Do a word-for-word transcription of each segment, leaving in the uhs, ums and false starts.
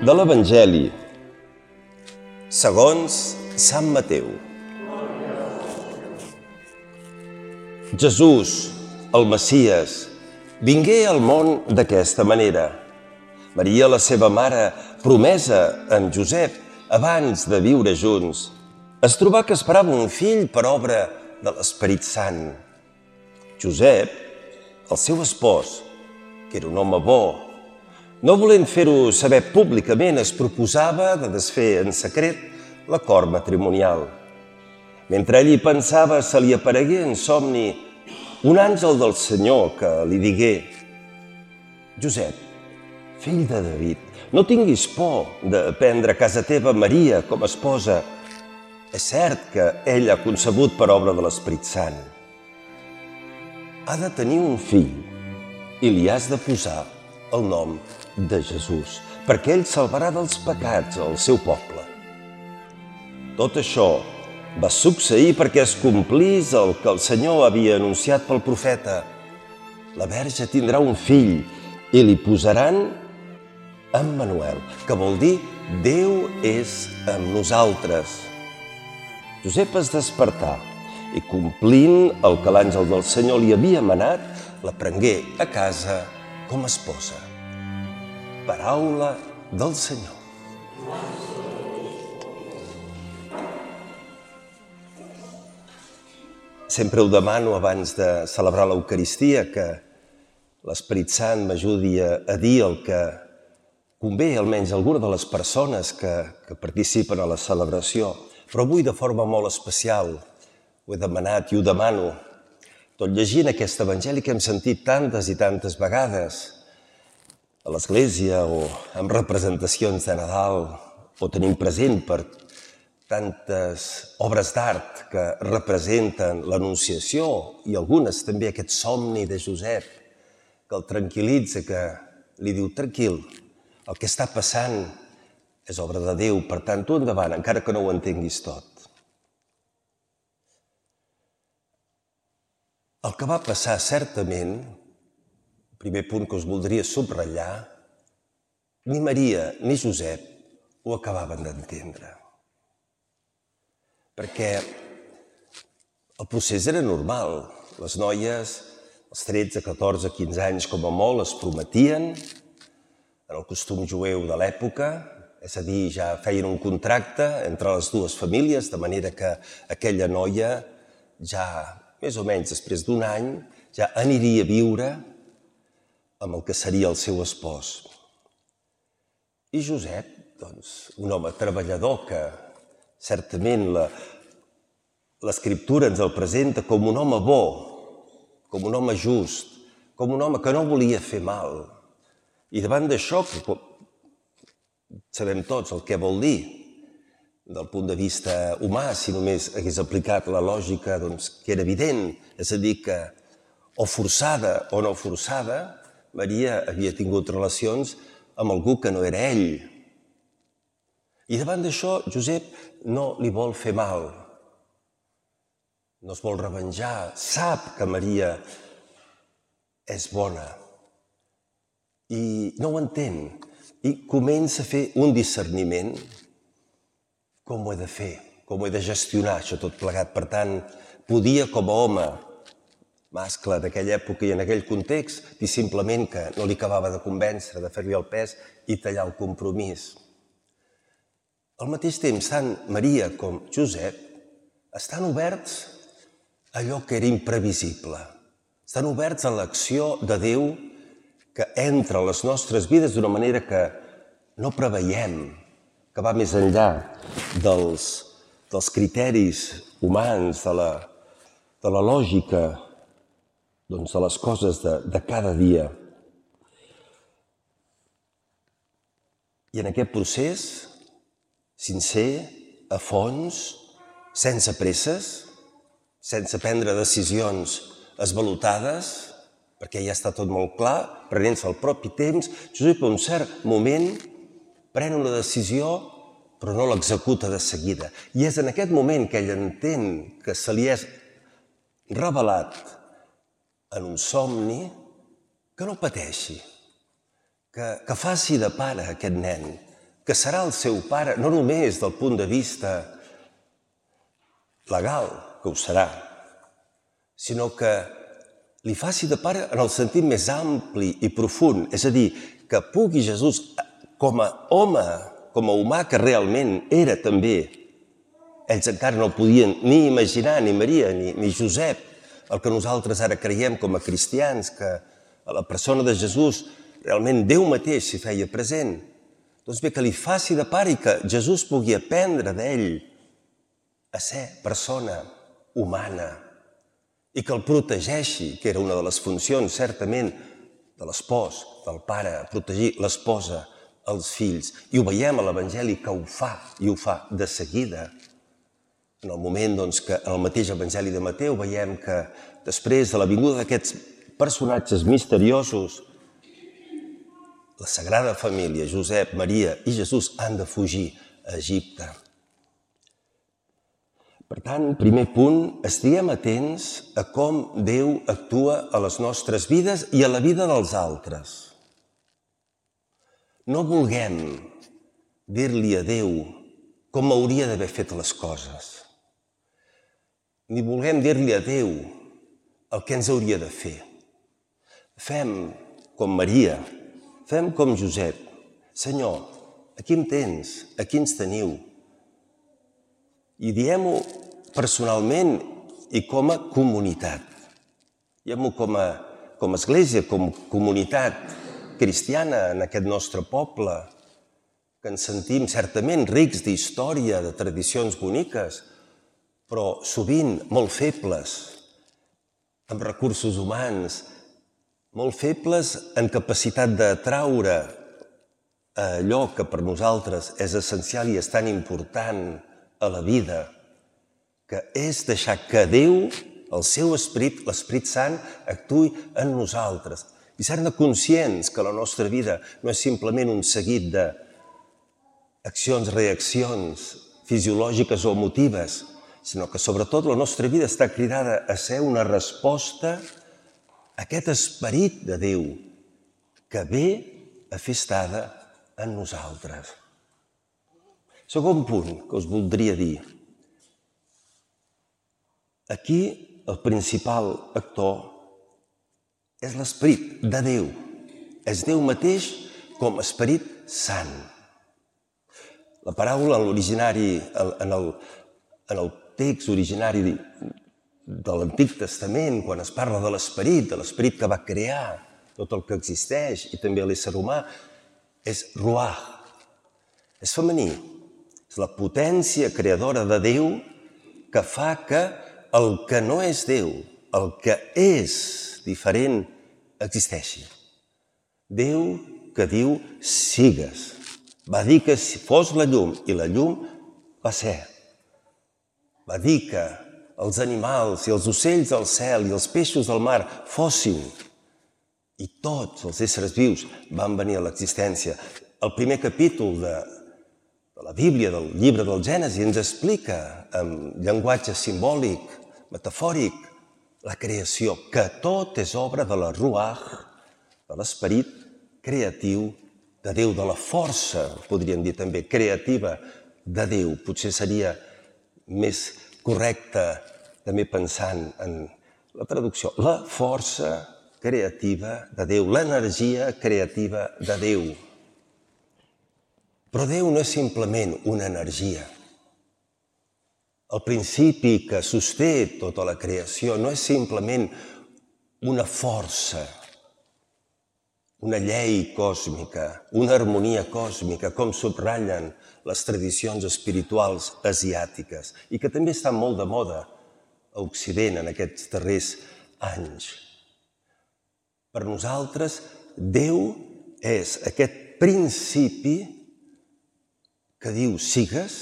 De l'Evangeli segons Sant Mateu. Jesús, el Messies, vingué al món d'aquesta manera. Maria, la seva mare, promesa en Josep abans de viure junts, es trobà que esperava un fill per obra de l'Esperit Sant. Josep, el seu espòs, que era un home bo, no volent fer-ho saber públicament, es proposava de desfer en secret l'acord matrimonial. Mentre ell hi pensava, se li aparegué en somni un àngel del Senyor que li digué: Josep, fill de David, no tinguis por de prendre a casa teva Maria com a esposa. És cert que ell ha concebut per obra de l'Esperit Sant. Ha de tenir un fill i li has de posar el nom de Jesús, perquè ell salvarà dels pecats el seu poble. Tot això va succeir perquè es complís el que el Senyor havia anunciat pel profeta. La verge tindrà un fill i li posaran Emmanuel, que vol dir Déu és amb nosaltres. Josep es despertà i, complint el que l'àngel del Senyor li havia manat, la prengué a casa com a esposa. Paraula del Senyor. Sempre ho demano abans de celebrar l'Eucaristia, que l'Esperit Sant m'ajudi a dir el que convé, almenys a alguna de les persones que, que participen a la celebració. Però avui, de forma molt especial, ho he demanat i ho demano, tot llegint aquest evangeli que hem sentit tantes i tantes vegades a l'Església o en representacions de Nadal, o tenim present per tantes obres d'art que representen l'Anunciació i algunes també aquest somni de Josep que el tranquil·litza, que li diu: tranquil, el que està passant és obra de Déu, per tant, tu endavant, encara que no ho entenguis tot. El que va passar, certament, el primer punt que us voldria subratllar, ni Maria ni Josep ho acabaven d'entendre. Perquè el procés era normal. Les noies, als tretze, catorze, quinze anys, com a molt, es prometien en el costum jueu de l'època, és a dir, ja feien un contracte entre les dues famílies, de manera que aquella noia ja, més o menys després d'un any, ja aniria a viure amb el que seria el seu espòs. I Josep, doncs, un home treballador que certament la, l'Escriptura ens el presenta com un home bo, com un home just, com un home que no volia fer mal. I davant d'això, que sabem tots el que vol dir, del punt de vista humà, si només hagués aplicat la lògica, doncs, que era evident, és a dir, que o forçada o no forçada, Maria havia tingut relacions amb algú que no era ell. I davant d'això, Josep no li vol fer mal, no es vol revenjar, sap que Maria és bona i no ho entén. I comença a fer un discerniment. Com ho he de fer? Com ho he de gestionar, això tot plegat? Per tant, podia, com a home mascle d'aquella època i en aquell context, dir simplement que no li acabava de convèncer, de fer-li el pes i tallar el compromís. Al mateix temps, tant Maria com Josep estan oberts a allò que era imprevisible. Estan oberts a l'acció de Déu que entra a les nostres vides d'una manera que no preveiem, que va més enllà dels, dels criteris humans, de la, de la lògica, doncs, de les coses de, de cada dia. I en aquest procés, sincer, a fons, sense presses, sense prendre decisions esvalotades, perquè ja està tot molt clar, prenent-se el propi temps, Josep, a un cert moment, pren una decisió, però no l'executa de seguida. I és en aquest moment que ell entén que se li és revelat en un somni, que no pateixi, que, que faci de pare aquest nen, que serà el seu pare, no només del punt de vista legal, que ho serà, sinó que li faci de pare en el sentit més ampli i profund, és a dir, que pugui Jesús, com a home, com a humà que realment era també, ells encara no podien ni imaginar, ni Maria, ni, ni Josep, el que nosaltres ara creiem com a cristians, que a la persona de Jesús realment Déu mateix s'hi feia present. Doncs bé, que li faci de pare i que Jesús pugui aprendre d'ell a ser persona humana i que el protegeixi, que era una de les funcions, certament, de l'espòs, del pare, protegir l'esposa, els fills. I ho veiem a l'Evangeli que ho fa, i ho fa de seguida. En el moment doncs, que en el mateix Evangeli de Mateu veiem que després de la vinguda d'aquests personatges misteriosos, la Sagrada Família, Josep, Maria i Jesús, han de fugir a Egipte. Per tant, primer punt, estiguem atents a com Déu actua a les nostres vides i a la vida dels altres. No vulguem dir-li a Déu com hauria d'haver fet les coses. Ni vulguem dir-li a Déu el que ens hauria de fer. Fem com Maria, fem com Josep. Senyor, aquí em tens, aquí ens teniu. I diem-ho personalment i com a comunitat. Diem-ho com a, com a església, com a comunitat cristiana en aquest nostre poble, que ens sentim certament rics d'història, de tradicions boniques, però sovint molt febles, amb recursos humans, molt febles en capacitat d'atraure allò que per nosaltres és essencial i és tan important a la vida, que és deixar que Déu, el seu Esperit, l'Esperit Sant, actuï en nosaltres. I ser-ne conscients que la nostra vida no és simplement un seguit d'accions, reaccions fisiològiques o emotives, sinó que sobretot la nostra vida està cridada a ser una resposta a aquest Esperit de Déu que ve a fer estada en nosaltres. Segon punt que us voldria dir. Aquí el principal actor és l'Esperit de Déu. És Déu mateix com a Esperit Sant. La paraula en l'originari, en el, en el text originari de l'Antic Testament, quan es parla de l'Esperit, de l'Esperit que va crear tot el que existeix i també l'ésser humà, és ruach, és femení. És la potència creadora de Déu que fa que el que no és Déu, el que és diferent, existeixi. Déu que diu sigues. Va dir que si fos la llum i la llum va ser. Va dir que els animals i els ocells del cel i els peixos del mar fossin, i tots els éssers vius van venir a l'existència. El primer capítol de, de la Bíblia, del llibre del Gènesi, ens explica amb llenguatge simbòlic, metafòric, la creació, que tot és obra de la ruach, de l'esperit creatiu de Déu, de la força, podríem dir també, creativa de Déu. Potser seria més correcte també pensant en la traducció. La força creativa de Déu, l'energia creativa de Déu. Però Déu no és simplement una energia. El principi que sosté tota la creació no és simplement una força, una llei còsmica, una harmonia còsmica, com subratllen les tradicions espirituals asiàtiques i que també estan molt de moda a Occident en aquests darrers anys. Per nosaltres, Déu és aquest principi que diu sigues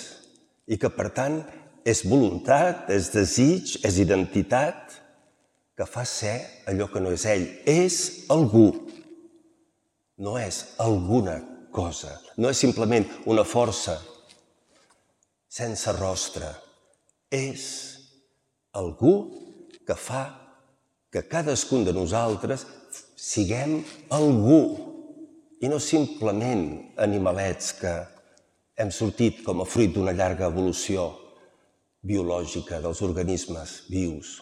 i que, per tant, és voluntat, és desig, és identitat que fa ser allò que no és ell. És algú. No és alguna cosa, no és simplement una força sense rostre. És algú que fa que cadascun de nosaltres siguem algú i no simplement animalets que hem sortit com a fruit d'una llarga evolució biològica dels organismes vius.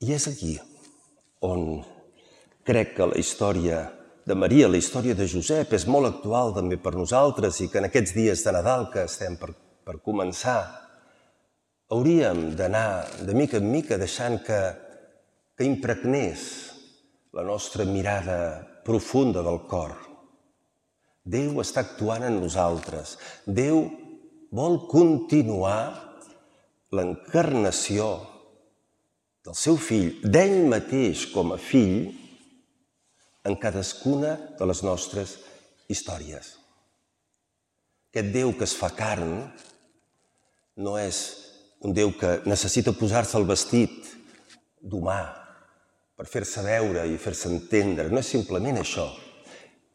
I és aquí on crec que la història de Maria, la història de Josep, és molt actual també per nosaltres i que en aquests dies de Nadal que estem per, per començar hauríem d'anar de mica en mica deixant que, que impregnés la nostra mirada profunda del cor. Déu està actuant en nosaltres. Déu vol continuar l'encarnació del seu fill, d'ell mateix com a fill, en cadascuna de les nostres històries. Aquest Déu que es fa carn no és un Déu que necessita posar-se el vestit d'humà per fer-se veure i fer-se entendre. No és simplement això.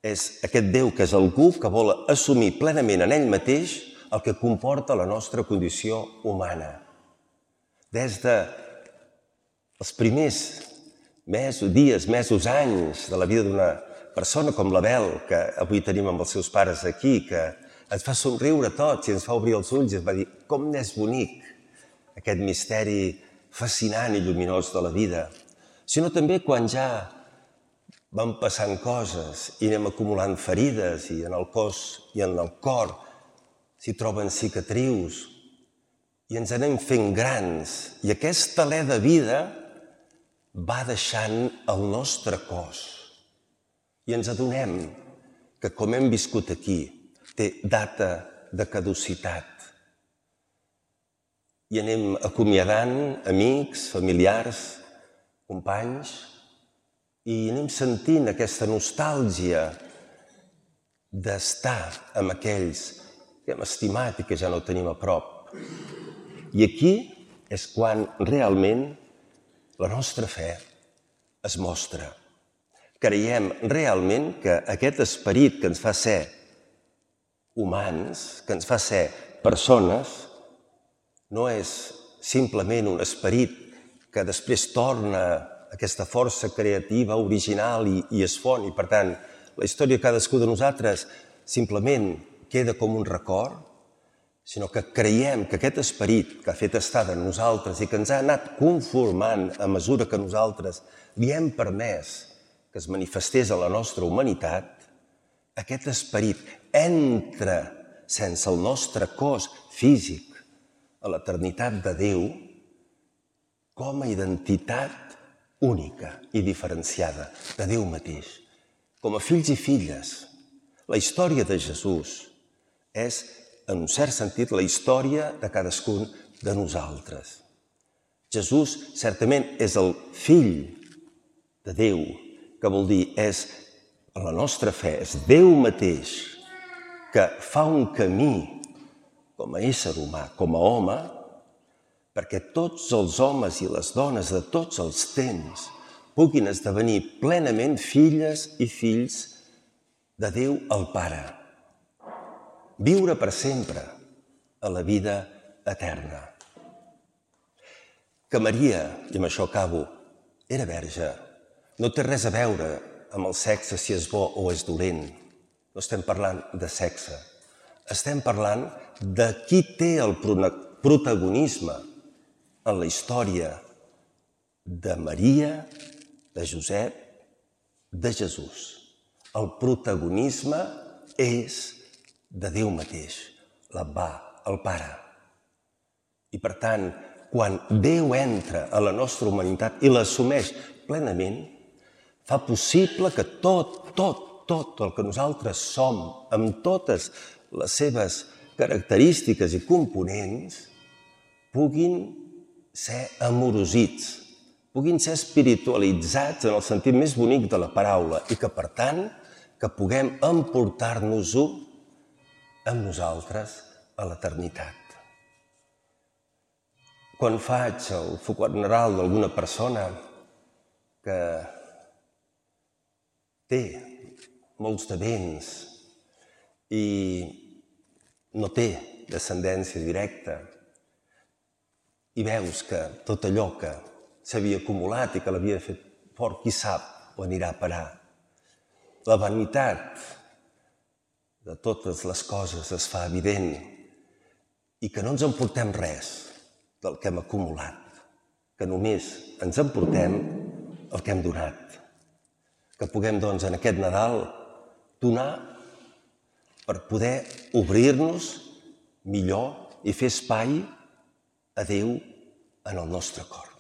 És aquest Déu que és algú que vol assumir plenament en ell mateix el que comporta la nostra condició humana. Des de els primers mesos, dies, mesos, anys de la vida d'una persona com l'Abel, que avui tenim amb els seus pares aquí, que ens fa somriure a tots i ens fa obrir els ulls i ens va dir com n'és bonic aquest misteri fascinant i lluminós de la vida, sinó també quan ja van passant coses i anem acumulant ferides i en el cos i en el cor s'hi troben cicatrius i ens anem fent grans i aquest alè de vida va deixant el nostre cos i ens adonem que, com hem viscut aquí, té data de caducitat. I anem acomiadant amics, familiars, companys, i anem sentint aquesta nostàlgia d'estar amb aquells que hem estimat i que ja no tenim a prop. I aquí és quan realment la nostra fe es mostra. Creiem realment que aquest esperit que ens fa ser humans, que ens fa ser persones, no és simplement un esperit que després torna aquesta força creativa, original i, i es fon. I, per tant, la història de cadascú de nosaltres simplement queda com un record, sinó que creiem que aquest esperit que ha fet estada en nosaltres i que ens ha anat conformant a mesura que nosaltres li hem permès que es manifestés a la nostra humanitat, aquest esperit entra sense el nostre cos físic a l'eternitat de Déu com a identitat única i diferenciada de Déu mateix. Com a fills i filles, la història de Jesús és, en un cert sentit, la història de cadascun de nosaltres. Jesús certament és el fill de Déu, que vol dir és la nostra fe, és Déu mateix que fa un camí com a ésser humà, com a home, perquè tots els homes i les dones de tots els temps puguin esdevenir plenament filles i fills de Déu el Pare. Viure per sempre a la vida eterna. Que Maria, i amb això acabo, era verge, no té res a veure amb el sexe, si és bo o és dolent. No estem parlant de sexe. Estem parlant de qui té el protagonisme en la història de Maria, de Josep, de Jesús. El protagonisme és de Déu mateix, l'Abbà, el Pare. I per tant, quan Déu entra a la nostra humanitat i l'assumeix plenament, fa possible que tot, tot, tot el que nosaltres som, amb totes les seves característiques i components, puguin ser amorosits, puguin ser espiritualitzats en el sentit més bonic de la paraula i que, per tant, que puguem emportar-nos-ho amb nosaltres a l'eternitat. Quan faig el funeral d'alguna persona que té molts de béns i no té descendència directa i veus que tot allò que s'havia acumulat i que l'havia fet fort, qui sap on anirà a parar. La vanitat de totes les coses es fa evident i que no ens emportem res del que hem acumulat, que només ens emportem el que hem donat. Que puguem, doncs, en aquest Nadal donar per poder obrir-nos millor i fer espai a Déu en el nostre cor.